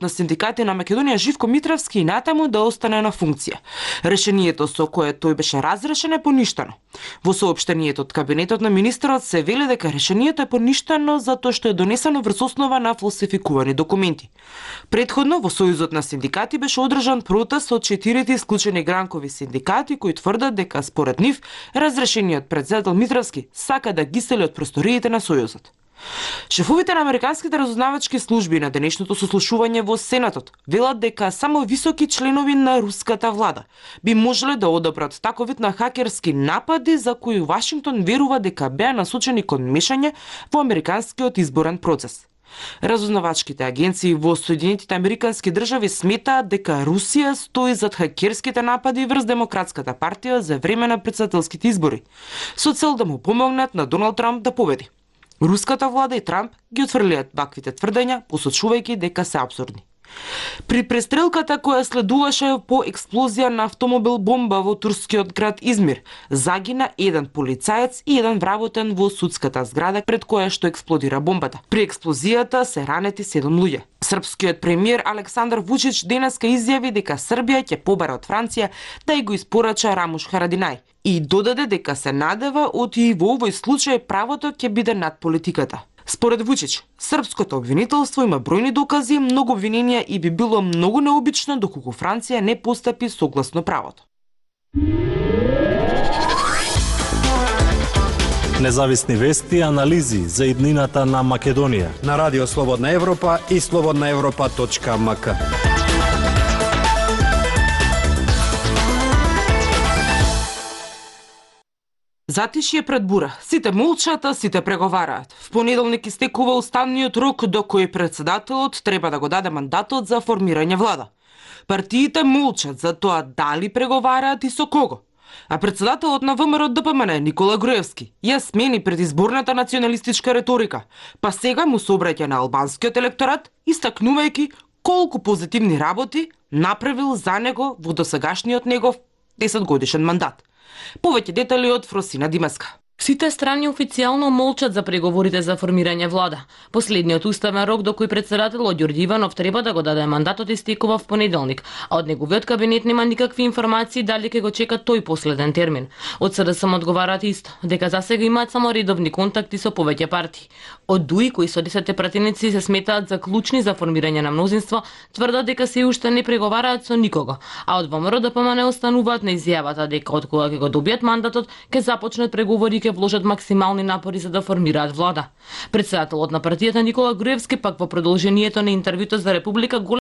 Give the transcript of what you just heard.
на синдикати на Македонија Живко Митровски и натаму да остане на функција. Решението со кое тој беше разрешен е поништено. Во соопштението од кабинетот на министерот се вели дека решението е поништено затоа што е донесено врз основа на фалсификувани документи. Претходно во Сојузот на синдикати беше одржан протест од 4 исклучени гранкови синдикати кои тврдат дека според нив разрешениот претседател Митровски сака да ги сели од просториите на Сојузот. Шефовите на американските разузнавачки служби на денешното сослушување во Сенатот велат дека само високи членови на руската влада би можеле да одобрат таков вид на хакерски напади за кои Вашингтон верува дека беа насочени кон мешање во американскиот изборен процес. Разузнавачките агенции во Соединетите Американски држави сметаат дека Русија стои зад хакерските напади врз Демократската партија за време на претседателските избори, со цел да му помогнат на Доналд Трамп да победи. Руската влада и Трамп ги отфрлиат ваквите тврдења, посочувајќи дека се апсурдни. При престрелката која следуваше по експлозија на автомобил бомба во турскиот град Измир, загина еден полицаец и еден вработен во судската зграда пред која што експлодира бомбата. При експлозијата се ранети 7 луѓе. Српскиот премиер Александар Вучич денеска изјави дека Србија ќе побара од Франција да ја го испорача Рамуш Харадинај и додаде дека се надева од и во овој случај правото ќе биде над политиката. Според Вучич, српското обвинителство има бројни докази, многу обвиненија и би било многу необично доколку Франција не постапи согласно правото. Независни вести и анализи за иднината на Македонија на Радио Слободна Европа и slobodnaevropa.mk. Затишје пред бура. Сите молчат, а сите преговараат. В понеделник истекува уставниот рок до кој претседателот треба да го даде мандатот за формирање влада. Партиите молчат за тоа дали преговараат и со кого. А претседателот на ВМРО ДПМН Никола Груевски ја смени предизборната националистичка реторика, па сега му се обраќа на албанскиот електорат, истакнувајќи колку позитивни работи направил за него во досегашниот негов 10-годишен мандат. Повеќе детали од Фросина Димеска. Сите страни официјално молчат за преговорите за формирање влада. Последниот уставен рок до кој претседателот Ѓорѓи Иванов треба да го даде мандатот истекува в понеделник, а од неговиот кабинет нема никакви информации дали ќе го чека тој последен термин. Од СДСМ одговараат исто, дека засега имаат само редовни контакти со повеќе партии. Од ДУИ, кои со 10 пратеници се сметаат за клучни за формирање на мнозинство, тврдат дека се уште не преговараат со никого, а од ВМРО ДПМН остануваат на изјавата дека од кога ќе го добијат мандатот, ќе започнат преговори и вложат максимални напори за да формираат влада. Претседателот на партијата Никола Груевски пак во продолжението на интервјуто за Република